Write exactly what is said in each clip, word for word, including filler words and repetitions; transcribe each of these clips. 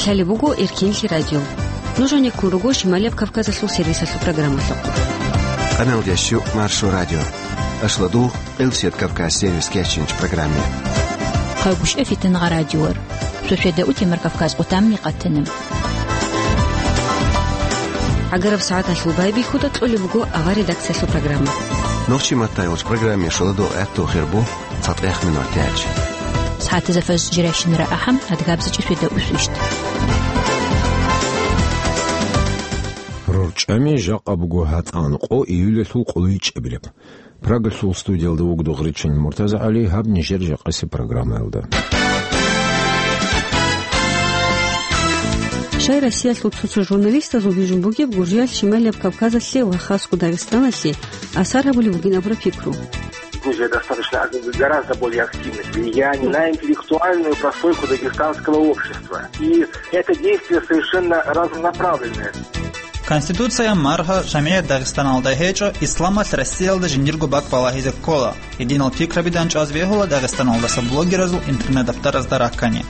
Лъалеб буго Эркенлъи радио. Нуж гьанеккун руго Шималияб Кавказалъул сервисалъул программалъухъ. Къаналда щу Маршо радио. Ашладу Къилсият Кавказ сервис кечинч программе. Хъагушев Фитангъа радиор. Сосведа утемар Кавказ къутамни къатанам. ГӀагараб сагӀаталъул байбихьуда кьолеб буго авар редакциялъул программа. Нохчи маттайолч программе шоладо гӀатту хирбу. ЦатӀех минут тяч. СагӀатазда фаз жирайщинара ахӀам, адгабзачӀи светда усвищт. РорчӀами жакъа буго гьатӀан къо июлалъул къолайчӀебилеб. Прагалъул студиялда вугода Гъричан МуртазагӀали, гьаб нижер жакъасеб программаялда. Щай Россиялъул цо-цо журналистазул бижун бугеб Гуржиялъ Шималияб Кавказалъе ва хасго Дагъистаналъе асар гьабулеб бугин абураб пикру. Грузия достаточно ак-, гораздо более активное влияние на интеллектуальную прослойку дагестанского общества. И это действие совершенно разнонаправленное. Конституция, маргьа, жамгӀият Дагъистаналда гьечӀо, исламалъ Россиялда жиндирго бакӀ балагьизе ккола. Гьединал пикраби данчӀваз бегьула Дагъистаналдаса блогеразул интернет-дафтаразда раккани.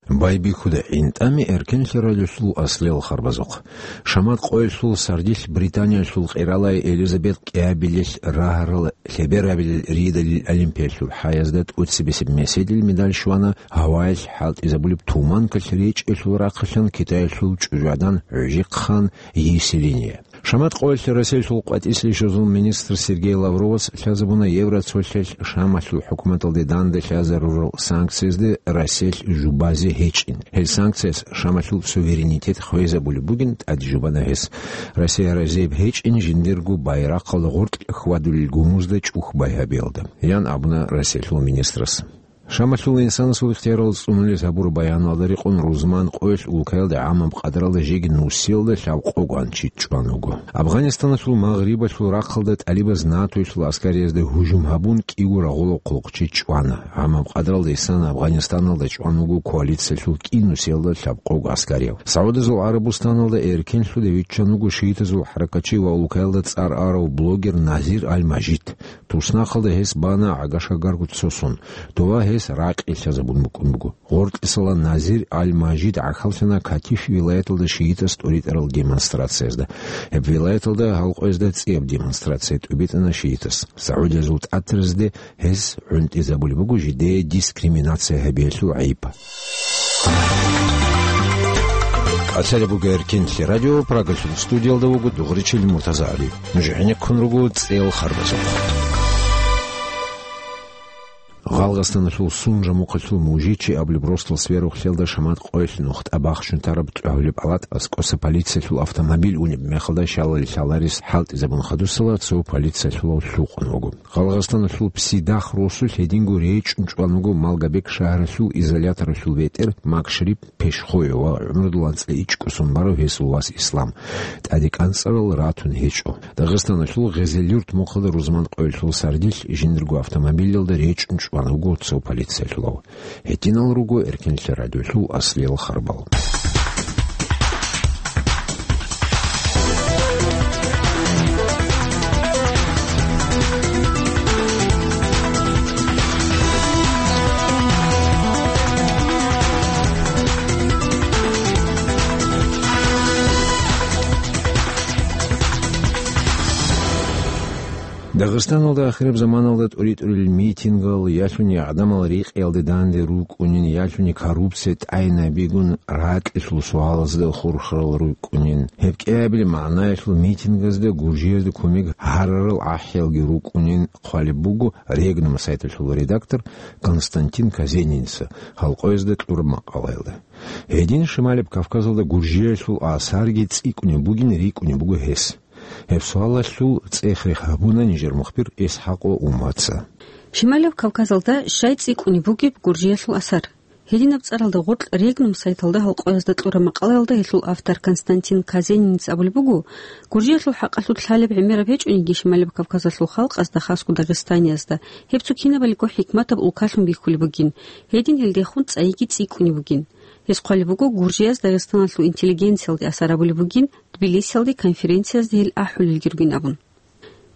Байбихьуда гӀинтӀами Эркенлъи радиолъул аслиял харбазухъ. Шамат къоялъул сардилъ Британиялъул къиралай Элизабет кӀиабилелъ рагьарал лъеберабилел ридалил олимпиялъул хӀаязда тӀоцебесеб меседил медаль щвана гьаваялъ хӀалтӀизабулеб туманкалъ речӀелъул рахъалъан Китаялъул чӀужугӀадан гӀужихъан Есилиния. Шамат къоялъ Россиялъул къватӀислъи щвезул министр Сергей Лавровас лъазабуна Евроцолъиялъ Шамалъул хӀукуматалде данде лъазарурал санкциязде Россиялъ жубазе гьечӀин. Гьел санкцияс Шамалъул суверенитет хвезабулеб бугин тӀаде жубана гьес, Россия разияб гьечӀин жиндирго байрахъалда гъоркь хьвадулел гумузда чӀухь байгьабиялда, ян абуна Россиялъул министрас. Шамалъул инсанасул ихтиярал цӀунулез гьабураб баяналда рекъон рузман къоялъ улкаялда гӀамаб къадралда жеги нусиялда лъабкъого анчи чӀван вуго. Афганистаналъул магърибалъул рахъалда тӀалибаз НАТОялъул аскариязда гьужум гьабун кӀиго рагъулаб хъулухъчи чӀвана. ГӀамаб къадралда исан Афганистаналда чӀван вуго коалициялъул кӀинусиялда лъабкъого аскарияв. СагӀудазул ГӀарабустаналда эркенлъуда виччан вуго шиитазул хӀаракатчи ва улкаялда цӀар арав блогер Назир Аль-Мажид. Туснахъалда гьес бана гӀага-шагарго цосун. Дова гьес ракъи лъазабун букӀун буго. Гъоркьисала Назир Аль-Мажид гӀахьаллъана Катиф вилаяталда шиитас тӀуритӀарал демонстрациязда. Гьеб вилаяталда гьалкъоязда цӀияб демонстрация тӀубитӀана шиитас. СагӀудиязул тӀатразде гьес гӀунтӀизабулеб буго жидее дискриминация гьабиялъул гӀайиб. Кацалеб буго Эркенлъи радио, Прагалъул студиялда вуго Дугъричил МуртазагӀали. Нуж гӀенеккун руго цӀел харбазухъ. Гъалгъастаналъул Сунжа мухъалъул Мужичи абулеб росдал сверухълъиялда Шамат къоялъ нухда бахчун тараб тӀогьулеб палат аскӀоса полициялъул автомобиль унеб мехалда щалалил лъаларес хӀалтӀизабун хадусала цо полициялъулав лъукъун вуго. Гъалгъастаналъул Псидах росулъ гьединго речӀун чӀван вуго Малгобек шагьаралъул изоляторалъул бетӀер Макшарип Пешхоев ва гӀумрудул анцӀила ичӀго сон барав гьесул вас Ислам. ТӀаде кӀанцӀарал ратун гьечӀо. Дагъистаналъул Гъезелюрт мухъалда рузман къоялъул сардилъ жиндирго автомобилялда речӀун чӀван вуго цо полициялъулав. Гьединал руго Эркенлъи радиолъул аслиял харбал. Дагъистаналда ахираб заманалда тӀури-тӀурил митингал, ялъуни гӀадамал рекъиялде данде рукӀунин, ялъуни коррупция тӀайнабигун ракьилъул суалазда хурхарал рукӀунин. Гьеб кӀиабил магӀнаялъул митингазда гуржиязда кумек гьарарал ахӀиялги рукӀунин хъвалеб буго Регнум сайталъул редактор Константин Казениница гьалкъоязда кьураб макъалаялда. Гьедин Шималаб Кавказалда гуржиялъул асарги цӀикӀкӀунеб бугин рикӀкӀунеб буго гьес. Гьеб суалалъул цӀех-рех гьабуна нижер мухбир ИсхӀакъ Умаца. Шималаб Кавказалда щай цӀикӀкӀунеб бугеб гуржиялъул асар? Гьединаб цӀаралда гъоркь Регнум сайталда гьалкъоязда кьураб макъалаялда гьелъул автор Константин Казениница абулеб буго, гуржиялъул хӀакъалъулъ лъалеб гӀемераб гьечӀониги Шималаб Кавказалъул халкъазда, хасго Дагъистаниязда, гьеб цо кинабалиго хӀикматаб улкалъун бихьулеб бугин, гьедин гьелдехун цӀайиги цӀикӀкӀунеб бугин. Гьес хъвалеб буго, гуржияз Дагъистаналъул интеллигенциялде асар гьабулеб бугин, Тбилисиялде конференциязда гьел ахӀулелги ругин абун.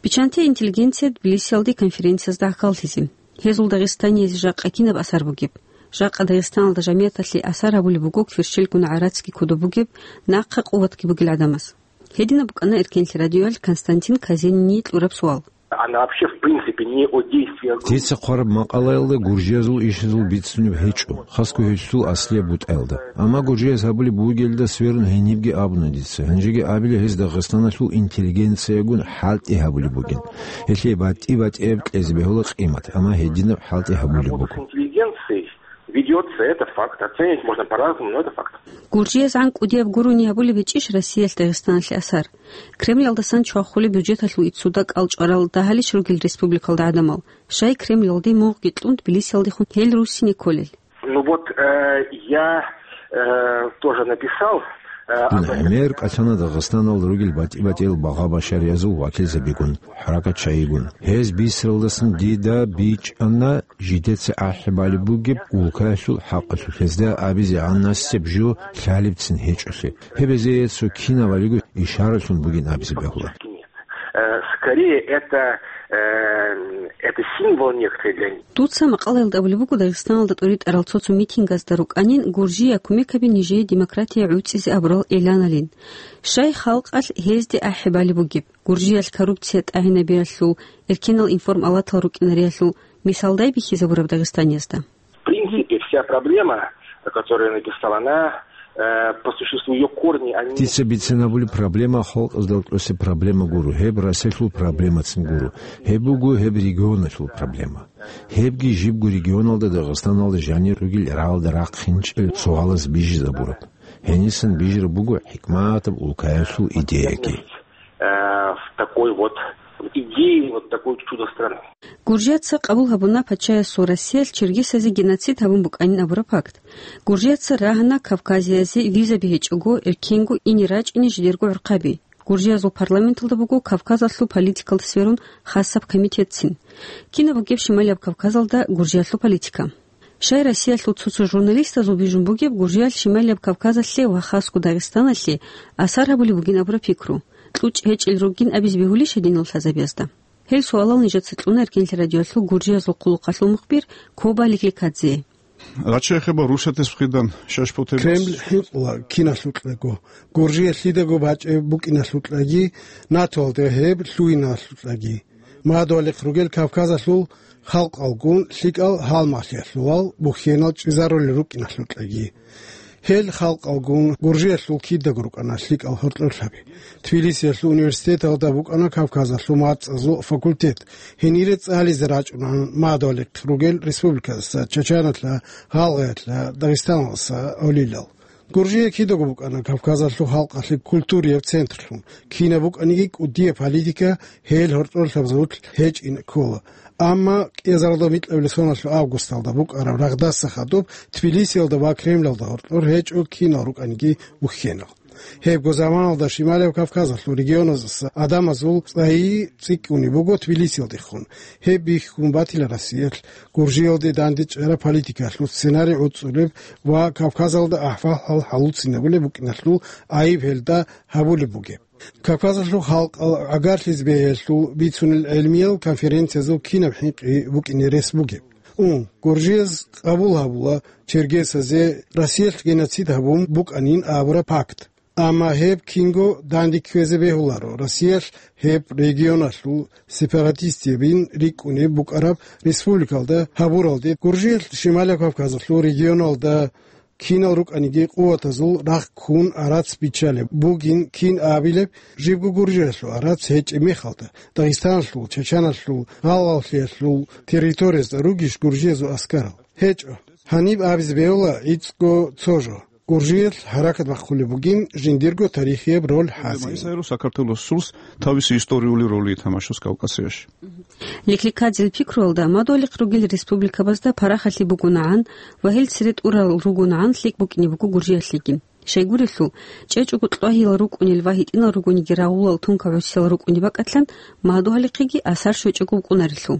Биччанте интеллигенция Тбилисиялде конференциязда гӀахьаллъизе. Гьезул Дагъистаниязде жакъа кинаб асар бугеб? Жакъа Дагъистаналда жамияталъе асар гьабулеб буго кверщелгун гӀарацги кодоб бугеб, нахъа къуватги бугел гӀадамаз. Гьединаб букӀана Эркенлъи радиоялъ Константин Казинини кьураб суал. Она вообще, в принципе, не о действиях группы. Дица хъвараб макъалаялда гуржиязул ишазул бицунеб гьечӀо, хасго гьелъул аслияб бутӀаялда. Амма гуржияз гьабулеб бугелда сверун гьенибги абуна дица. Гьанжеги абила гьез Дагъистаналъул интеллигенциягун хӀалтӀи гьабулеб бугин. Гьелъие батӀи-батӀияб кьезе бегьула къимат, амма гьединаб хӀалтӀи гьабулеб буго. Работа с интеллигенцией ведётся, это факт. Оценивать можно по-разному, но это факт. Гуржияз гӀан кӀудияб гурони гьабулеб гьечӀищ Россиялъ Дагъистаналъе асар? Кремлалдасан чвахулеб бюджеталъул иццуда кӀалчӀварал дагьалищ ругел республикалда гӀадамал, щай Кремлалде мугъги кьун Тбилисиялдехун гьел руссине кколел? Ну вот, э, я, э, тоже написал, э, об этом. Дун гӀемер кӀалъана Дагъистаналда ругел батӀи-батӀиял багъа-башариязул вакилзабигун, хӀаракатчагӀигун. Гьез бисаралдасан дида бичӀчӀана жидеца ахӀи балеб бугеб улкаялъул хӀакъалъулъ, гьезда абизе гӀанасеб жо лъалебцин гьечӀолъи. Гьеб гьезие цо кинаб балего ишаралъун бугин абизе бегьула. Э, скорее, это, э, это символ некоторый для них. Дуца макъалаялда абулеб буго Дагъистаналда тӀоритӀарал цо-цо митингазда рукӀанин, Гуржия кумекаби нижее демократия гӀуцӀизе абурал эъланалин. Щай халкъалъ гьезде ахӀи балеб бугеб? Гуржиялъ коррупция тӀагӀинабиялъул, эркенал информалатал рукӀинариялъул мисалдай бихьизабураб дагъистаниязда? В принципе, вся проблема, которую я написал, она, э, по существу, её корни, они... Дица бицинабули проблема халкъазда кьуси проблема гуру, гьеб Россиялъул проблемацин гуру, гьеб буго гьеб регионалъул проблема. Гьебги жибго регионалда Дагъистаналда жанир ругел рагӀалда рахъинчӀел суалаз бижизабураб. Гьенисан бижараб буго хӀикматаб улкаялъул идеяги. Э, в такой вот идеи, вот такой чудо-страны. Гуржияца къабул гьабуна пачаясул Россиялъ чергесазе геноцид гьабун букӀанин абураб факт. Гуржияца рагьана Кавказиязе визаби гьечӀого, эркенго ине рачӀине жидерго гӀурхъаби. Гуржиязул парламенталда буго Кавказалъул политикалда сверун хасаб комитетцин. Кинаб бугеб Шималияб Кавказалда Гуржиялъул политика? Щай Россиялъул цо-цо журналистазул бижун бугеб, Гуржиялъ Шималияб Кавказалъе ва хасго Дагъистаналъе асар гьабулеб бугин абураб пикру, кьучӀ гьечӀел ругин абизе бегьулищ гьединал лъазабиязда? Гьел суалал нижеца кьуна Эркенлъи радиоялъул Гуржиязул хъулухъалъул мухбир Коба Ликликадзе. Рачехеба рушатес вхидан шашпутебас. Кремль хӀинкъула киналъукьаго, Гуржия лъидаго бачӀеб букӀиналъукьаги, НАТОалда гьеб лъугьиналъукьаги. Мадугьалихъ ругел Кавказалъул халкъалгун лъикӀал гьалмагълъиялъувал бухьенал чӀезарулел рукӀиналъукьаги. Гьел халкъалгун Гуржиялъул кидаго рукӀана лъикӀал гьоркьорлъаби. Тбилисиялъул университеталда букӀана Кавказалъул мацӀазул факультет. Гьенире цӀализе рачӀунаан Мадугьалихъ ругел республиказдаса, Чачаналъа, Гъалгъаялъа, Дагъистаналдаса гӀолилал. Гуржия кидаго букӀана Кавказалъул халкъалъе культурияб центрлъун, кинаб букӀаниги кӀудияб политика гьел гьоркьорлъабазул гьечӀин ккола. Амма кӀиазаралда микьабилеб соналъул августалда букӀараб рагъдаса хадуб Тбилисиялда ва Кремлалда гьоркьор гьечӀо кинал рукӀаниги бухьенал. Гьебго заманалда Шималияб Кавказалъул регионаздаса гӀадамазул цӀайи цӀикӀкӀунеб буго Тбилисиялдехун. Гьеб бихьун батила Россиялъ Гуржиялде дандечӀараб политикаялъул сценарий гӀуцӀулеб ва Кавказалда ахӀвал-хӀал хӀалуцинабулеб букӀиналъул гӀайиб гьелда гьабулеб бугеб. Кавказалъул халкъал гӀагарлъизе бегьиялъул бицунел гӀелмиял конференциязул кинаб хӀинкъи букӀине рес бугеб? Ун, Гуржияз къабул гьабула чергесазе Россиялъ геноцид гьабун букӀанин абураб пакт. Амма гьеб кинго данде кквезе бегьуларо Россиялъ гьеб регионалъул сепаратистабин рикӀкӀунеб букӀараб республикалда гьабуралде, Гуржиялъ Шималияб Кавказалъул регионалда кинал рукӀаниги къуватазул рахъ ккун гӀарац биччалеб бугин кин абилеб, жибго Гуржиялъул гӀарац гьечӀеб мехалда, Дагъистаналъул, Чачаналъул, Гъалгъаллъиялъул территориязда ругищ гуржиязул аскарал? ГьечӀо. Гьаниб абизе бегьула гӀицӀго цо жо. Гуржиялъ хӀаракат бахъулеб бугин жиндирго тарихияб роль хӀазе. Сакартулос сурс тависи историули роли тамашас Кавказияш. Ликликадзел пикруялда, мадугьалихъ ругел республикабазда парахалъи бугонагӀан ва гьел цере тӀурал ругонагӀан лъикӀ букӀине буго Гуржиялъеги. Щайгурелъул, чӀечӀого кьвагьиял рукӀунел ва гьитӀинал ругониги рагъулал тункагӀусиял рукӀунеб бакӀалъан, мадугьалихъеги асар щвечӀого вукӀунарелъул.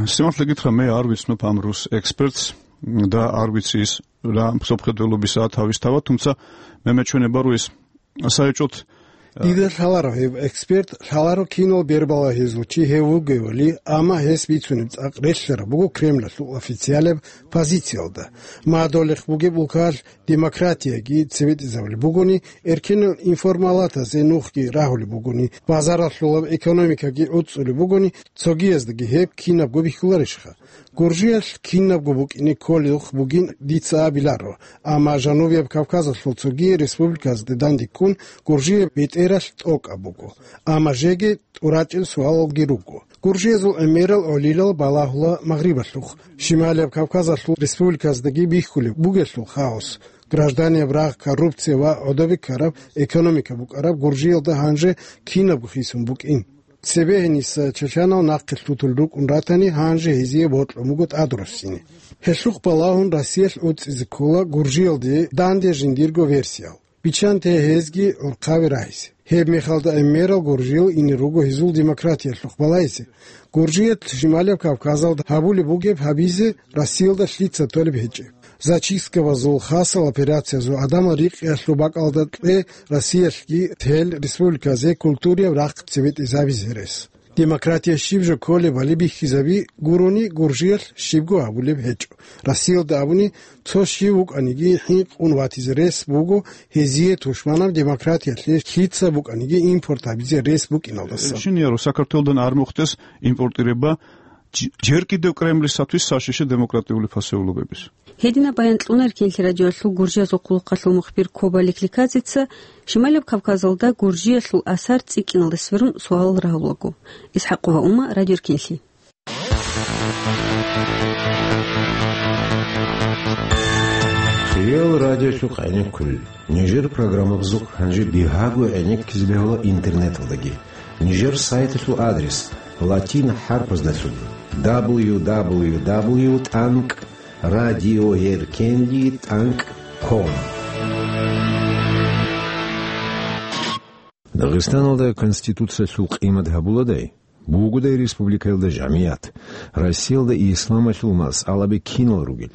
Симахлагитра ме арвицну памрус экспертс да арвицис ра сопхедвелу бисаат гьавис тава, тумца мемечуне баруис сайчӀут Дида лъаларо гьев эксперт, лъаларо кинал бербалагьизул чи гьев вугевали, амма гьес бицунеб цӀакъ релълъараб буго Кремлалъул официалияб позициялда. Мадолехъ бугеб улкалъ демократияги цебетӀезабулеб бугони, эркенал информалатазе нухги рагьулеб бугони, базаралъулаб экономикаги гӀуцӀулеб бугони, цогияздаги гьеб кинабго бихьуларищха? Гуржиялъ кинабго букӀине кколелъухъ бугин дица абиларо, амма Жанубияб Кавказалъул цоги республиказде данде ккун, Гуржияб бетӀералъ тӀокӀаб буго. Амма жеги тӀурачӀел суалалги руго. Гуржиязул гӀемерал гӀолилал балагьула Магърибалъухъ. Шималияб Кавказалъул республиказдаги бихьулеб бугелъул хаос, гражданияб рагъ, коррупция ва гӀодобе ккараб экономика букӀараб Гуржиялда гьанже кинабго хисун букӀин. Цебе гьениса чачанал нахъе лъутулел рукӀун ратани, гьанже гьезие бокьун буго тӀадруссине. Гьелъухъ балагьун Россиялъ уцӀизе ккола Гуржиялде данде жиндирго версиял. Биччанте гьезги гӀурхъаби рагьизе. Гьеб мехалда гӀемерал гуржиял ине руго гьезул демократиялъухъ балагьизе. Гуржиялъ Шималияб Кавказалда гьабулеб бугеб гьабизе Россиялда лъица толеб гьечӀеб. Зачисткабазул, хасал операциязул, гӀадамал рикъиялъул бакӀалда кье Россиялъги гьел республиказе культурияб рахъ цебетӀезабизе рес. Демократия щиб жо кколебали бихьизаби гурони, Гуржиялъ щибго гьабулеб гьечӀо. Россиялда абуни, цо щив вукӀаниги хӀинкъун ватизе рес буго гьезие тушманаб демократиялъе лъица букӀаниги импорт гьабизе рес букӀиналдаса. Шин яро сакартолдан армухътес импортиреба, черкидев Кремлис сатвис сашише демократиули фасеулубебис. Гьединаб баян кьуна Эркенлъи радиоялъул гуржиязул къулухъалъул мухбир Коба Ликликазица, Шималаб Кавказалда Гуржиялъул асар цӀикӀкӀиналде сверун суалал рагьулаго. ИсхӀакъова Ума, Радио Эркенлъи. Хиял радиосухъ гӀенеккулел. Нижер программабазухъ гьанже бигьаго гӀенеккизе бегьула интернеталдаги. Нижер сайталъул адрес латин хӀарпаздасун: дабл ю дабл ю дабл ю тӀанкӀ радиоэркенлъи тӀанкӀ ком. Дагъистаналда Конституциялъул къимат гьабуладай, бугодай республикаялда жамият, Россиялда исламалъул масъалаби кинал ругел?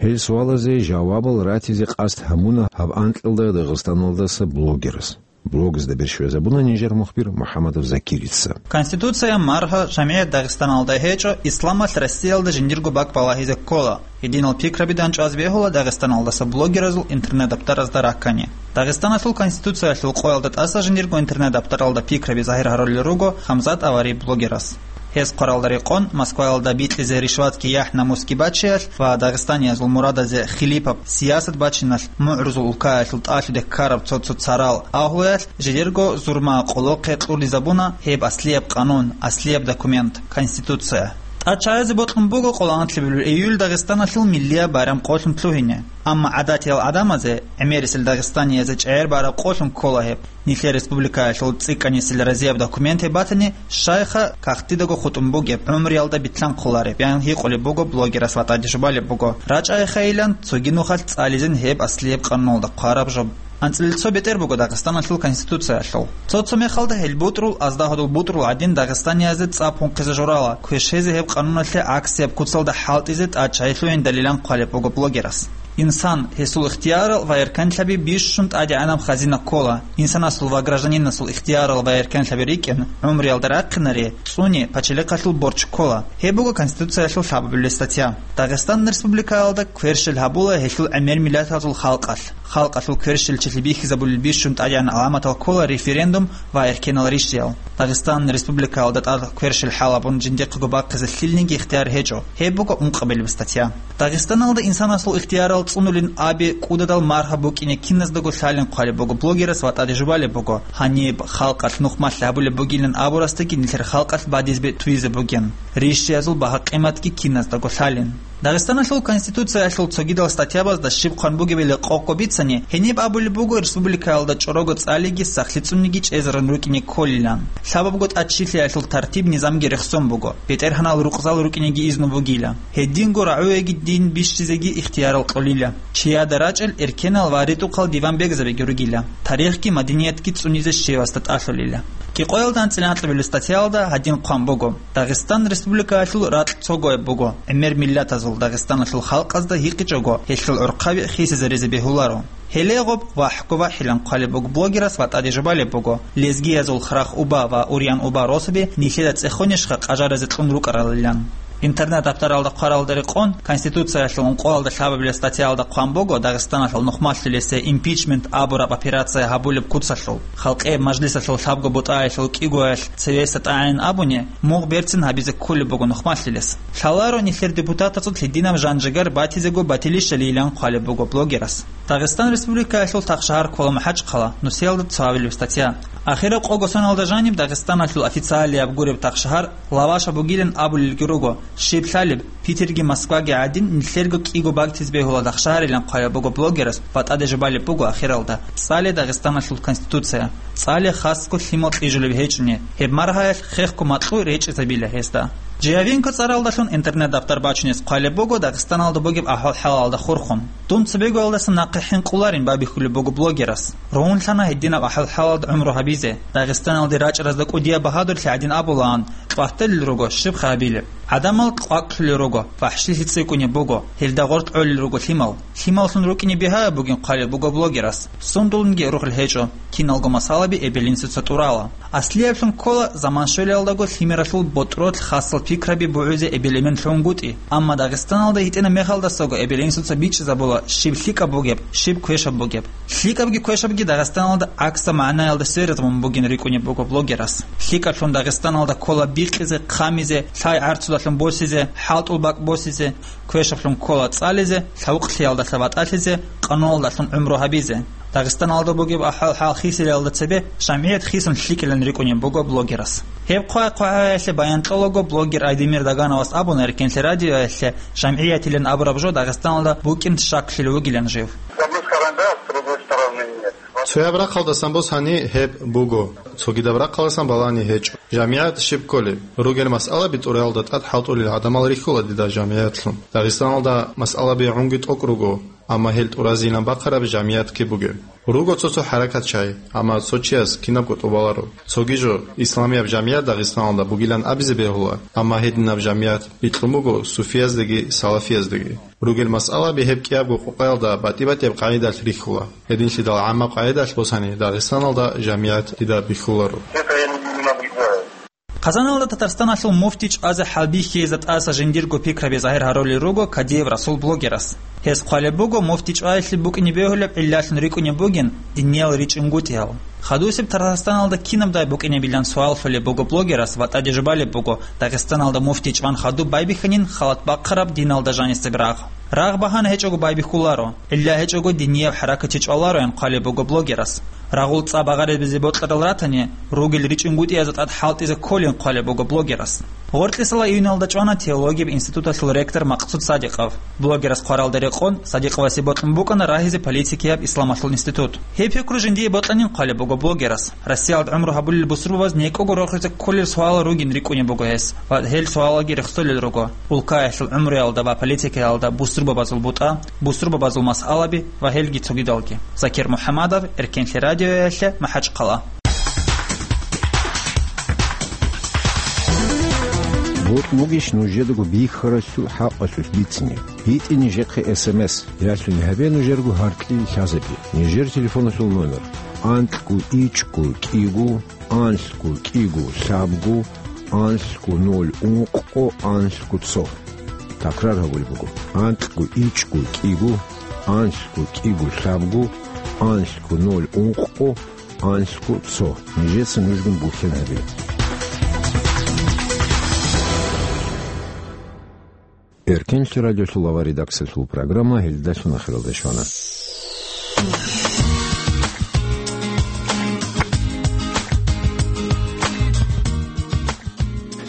Гьел суалазе жавабал ратизе къасд гьабуна гьаб анкьалда Дагъистаналдаса блогерас. Блогазда берщвезабуна нижер мухбир МухӀаммадов Закирица. Конституция маргьа жамият Дагъистаналда гьечӀо, исламалъ Россиялда жиндирго бакӀ балагьизе ккола. Гьединал пикраби данчӀваз бегьула Дагъистаналдаса блогеразул интернет-даптаразда раккани. Дагъистаналъул Конституциялъул къоялда тӀаса жиндирго интернет-даптаралда пикраби загьир гьарулел руго Хамзат Авари блогерас. Гьес хъваралда рекъон, Москваялда бикьизе ришватги яхӀ-намусги бачиялъ ва дагъистаниязул мурадазе хилипаб сиясат бачиналъ мугӀрузул улкаялъул тӀалъуде ккараб цо-цо царал агьлуялъ жидерго зурма къолохъе кьуризабуна гьеб аслияб къанун, аслияб документ, Конституция. ТӀадчагӀазе бокьун буго къоло анлъабилеб июль Дагъистаналъул миллияб байрам къолъун лъугьине. Амма гӀадатиял гӀадамазе, гӀемерисел дагъистаниязе чӀегӀер бараб къолъун ккола гьеб. Нилъер республикаялъул цӀикӀкӀанисел разияб документ гьеб батани, щайха кагътидаго хутӀун бугеб, гӀумруялда битлъанхъулареб, ян гьикъулеб буго блогерас ва тӀаде жубалеб буго. РачӀайхайилан, цоги нухалъ цӀализин гьеб аслияб къануналда хъвараб жо. АнцӀила цо бетӀер буго Дагъистаналъул Конституциялъул. Цо-цо мехалда гьел бутӀрул, аздагьадул бутӀрул гӀадин дагъистаниязе цӀа пунхъизе журала, квешезе гьеб къануналъе гӀаксияб куцалда хӀалтӀизе тӀадчагӀи лъугьиндалилан хъвалеб буго блогерас. Инсан, гьесул ихтиярал ва эркенлъаби бищун тӀадегӀанаб хазина ккола. Инсанасул ва гражданинасул ихтиярал ва эркенлъаби рикӀкӀин, гӀумруялда рахъинаре, цӀуни пачалихъалъул борчӀ ккола. Гьеб буго Конституциялъул лъабабилеб статья. Дагъистан Республикаялда кверщел гьабула гьелъул гӀемер миллатазул халкъалъ. Халкъалъул кверщелчилъи бихьизабулел бищун тӀадегӀан гӀаламатал ккола референдум ва эркенал ришдиял. Дагъистан Республикаялда тӀад кверщел хӀалабун жиндихъего бахъизе лъилниги ихтияр гьечӀо. Гьеб буго ункъабилеб статья. Дагъистаналда инсанасул ихтиярал цӀунулин абе кӀудадал маргьа букӀине киназдаго лъалин хъвалеб буго блогерас ва тӀаде жубалеб буго. Гьаниб халкъалъ нухмалъ гьабулеб бугилан абурасдаги нилъер халкъалъ бадиз бетӀуизе бугин. Ришшиязул багьа-къиматги киназдаго лъалин. Дагъистаналъул Конституциялъул цогидал статьябазда щиб хъван бугебали къокъго бицани, гьениб абулеб буго республикаялда чӀорого цӀалиги сахлъицӀунниги чӀезарун рукӀине кколилан. Лъабабго тӀадчилъиялъул тартиб-низамги рехсон буго, бетӀергьанал рукъзал рукӀинеги изну бугила. Гьединго рагӀуеги дин бищизеги ихтиярал кьолила. Чияда рачӀел эркенал ва ритӀухъал диван бегзабиги ругила. Тарихги мадиниятги цӀунизе щивасда тӀалъулила. Кикъоялда анцӀила анкьабилеб статьялда гьадин хъван буго: Дагъистан Республикаялъул ракь цогояб буго, гӀемер миллатазул Дагъистаналъул халкъазда гьикъичӀого, гьелъул гӀурхъаби хисизаризе бегьуларо. Гьеле гъоб ВахӀго вахӀилан хъвалеб буго блогерас ва тӀаде жубалеб буго, лезгиязул Храх-Уба ва Урьян-Уба росаби нилъеда цӀехонищха къажаразе кьун рукӀаралилан. Интернет-даптаралда хъваралда рекъон, Конституциялъул ункъоялда лъабабилеб статьяялда хъван буго Дагъистаналъул нухмалъулесе импичмент абураб операция гьабулеб куцалъул, халкъе мажлисалъул лъабго бутӀаялъул кӀигоялъ цевеса тӀагӀин абуни, мугъ берцин гьабизе кколеб буго нухмалъулес. Лъаларо нилъер депутатацул гьединаб жан-жигар батизего батилищалийилан хъвалеб буго блогерас. Дагъистан Республикаялъул тахшагьар ккола МахӀачхъала, нусиялда цо гьабилеб статья. Ахираб къого соналда жаниб Дагъистаналъул официалияб гуреб тахшагьар лаваша бугилан абулелги руго, щиб лъалеб, Питерги Москваги гӀадин, нилъерго кӀиго бактизе бегьула тахшагьарилан хъвалеб буго блогерас ва тӀаде жубалеб буго ахиралда, цӀале Дагъистаналъул Конституция, цӀале хасго лъимал кьижулеб гьечӀони, гьеб маргьаялъ хехго макьу речӀезабила гьесда. Жиявинко цӀаралдалъун интернет-даптар бачунес хъвалеб буго Дагъистаналда бугеб ахӀвал-хӀалалда хурхун. Дун цебегоялдаса нахъе хӀинкъуларин бабихьулеб буго блогерас. Рогьунлъана гьединаб ахӀвал-хӀалалда гӀумру гьабизе. Дагъистаналде рачӀаразда кӀудияб багьадурлъи гӀадин абулаан, кьватӀелел руго щибха гьабилеб. ГӀадамал кьвакӀлъулел руго, вахӀшилъи цӀикӀкӀунеб буго, гьелда гъоркь гӀолел руго лъимал. Лъималлъун рукӀине бигьаяб бугин хъвалеб буго блогерас. Сундулунги рухӀел гьечӀо, киналго масъалаби эбел-инсуца тӀурала. Аслияблъун ккола заман щвелалдаго лъимералъул ботӀролъ хасал пикраби бугӀузе эбел-эмен лъугӀунгутӀи, амма Дагъистаналда гьитӀинаб мехалдасаго эбел-инсуца бичӀчӀизабула щиб лъикӀаб бугеб, щиб квешаб бугеб. ЛъикӀабги квешабги Дагъистаналда гӀаксаб магӀнаялда сверизабун бугин рикӀкӀунеб буго блогерас. ЛъикӀаблъун Дагъистаналда ккола бикъизе, хъамизе, лъай-гӀарцудалъун босизе, хӀалтӀул бакӀ босизе, квешаблъун ккола цӀализе, лъавукълъиялдалъа ватӀалъизе, къануналдалъун гӀумру гьабизе. Дагъистаналда бугеб ахӀвал-хӀал хисилалда цебе жамгӀият хисун лъикӀилан рикӀкӀунеб буго блогерас. Гьеб хъвай-хъвагӀаялъе баян кьолаго блогер Айдемир Дагановас абуна Эркенлъи радиоялъе, жамгӀиятилан абураб жо Дагъистаналда букӀин щаклъилев вугилан жив. Цояб рахъалдасан босани гьеб буго, цогидаб рахъалдасан балани гьечӀо. ЖамгӀият щиб кколеб? Ругел масъалаби тӀуралда тӀад хӀалтӀулел гӀадамал рихьула дида жамгӀиятлъун. Дагъистаналда масъалаби гӀунги тӀокӀ руго, амма гьел тӀуразейилан бахъараб жамгӀиятги бугеб. Руго цо-цо хӀаракат чай, амма цо чияс кинабго тӀубаларо. Цоги жо, исламияб жамгӀият Дагъистаналда бугилан абизе бегьула, амма гьединаб жамгӀият бикьун буго суфияздаги салафияздаги. Ругел масъалаби гьеб кӀиябго къокъаялда батӀи-батӀияб къагӀидалъ рихьула. Гьединлъидал гӀаммаб къагӀидалъ босани Дагъистаналда жамгӀият дида бихьуларо. Къазаналда Татарстаналъул муфти чӀвазе хӀалбихьизе тӀаса жиндирго пикраби загьир гьарулел руго Кадиев Расул блогерас. Гьес хъвалеб буго, муфти чӀваялъе букӀине бегьулеб гӀиллалъун рикӀкӀунеб бугин диниял ричӀунгутӀиял. Хадусеб Татарстаналда кинабдай букӀинебилан суал лъолеб буго блогерас ва тӀаде жубалеб буго, Дагъистаналда муфти чӀван хадуб байбихьанин халат бахъараб диналда жанисеб рагъ. Рагъ багьана гьечӀого байбихьуларо, гӀилла гьечӀого динияб хӀаракатчи чӀвалароян хъвалеб буго блогерас. Рагъул цӀа багъарабизе бокьарал ратани, ругел ричӀунгутӀиязда тӀад хӀалтӀизе кколин хъвалеб буго блогерас. Гъоркьисала июналда чӀвана теологияб институталъул ректор Макъсуд Садикъов. Блогерас хъваралда рекъон, Садикъовасе бокьун букӀана рагьизе политикияб исламалъул институт. Гьеб пикру жиндие бокьанин хъвалеб буго блогерас. Россиялда гӀумру гьабулел бусурбабаз некӀого рохизе кколел суалал ругин рикӀкӀунеб буго гьес, ва гьел суалалги рехсолел руго улкаялъул гӀумруялда ва политикаялда бусурбабазул бутӀа, бусурбабазул масъалаби ва гьелги цогидалги. Закир МухӀамадов, Эркенлъи радиоялъе, МахӀачхъала. Бокь бугищ нужедаго бихьаралъул хӀакъалъулъ бицине? БитӀе нижехъе эс эм эс, ялъуни гьабе нужерго гьаркьил лъазабе. Нижер телефоналъул номер: анкьго ичӀго кӀиго, анлъго кӀиго лъабго, анлъго ноль ункъго, анлъго цо. Такрар гьабулеб буго: анкьго ичӀго кӀиго, анлъго кӀиго лъабго, анлъго ноль ункъго, анлъго цо. Нижеца нужгун бухьен гьабе. Эркенлъи радиолъул авар редакциялъул программа гьелдалъун ахиралде щвана.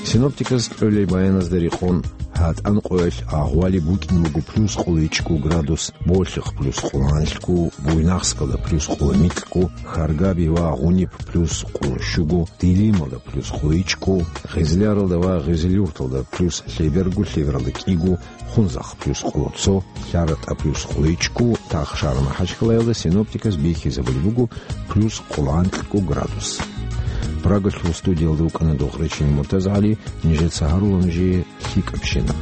Синоптиказ кьолел баяназда рекъон, гьатӀан къоялъ агъвали букӀин буго плюс къуличӀго градус, болъихъ плюс къуланлъго, Буйнакскалда плюс къулмикьго, Харгаби ва Гъуниб плюс къулщуго, Дилималда плюс къуличӀго, Гъизляралда ва Гъизлюрталда плюс лъеберго, лъебералда кӀиго, Хунзахъ плюс къулцо, ЛъаратӀа плюс къуличӀго, Тахшар-МахӀачхъалаялда синоптиказ бихьизабулеб буго плюс къуланкьго градус. Прагалъул студиялда вукӀана Дохъричинин МуртазагӀали, нижеца гьарула нужее лъикӀабщина.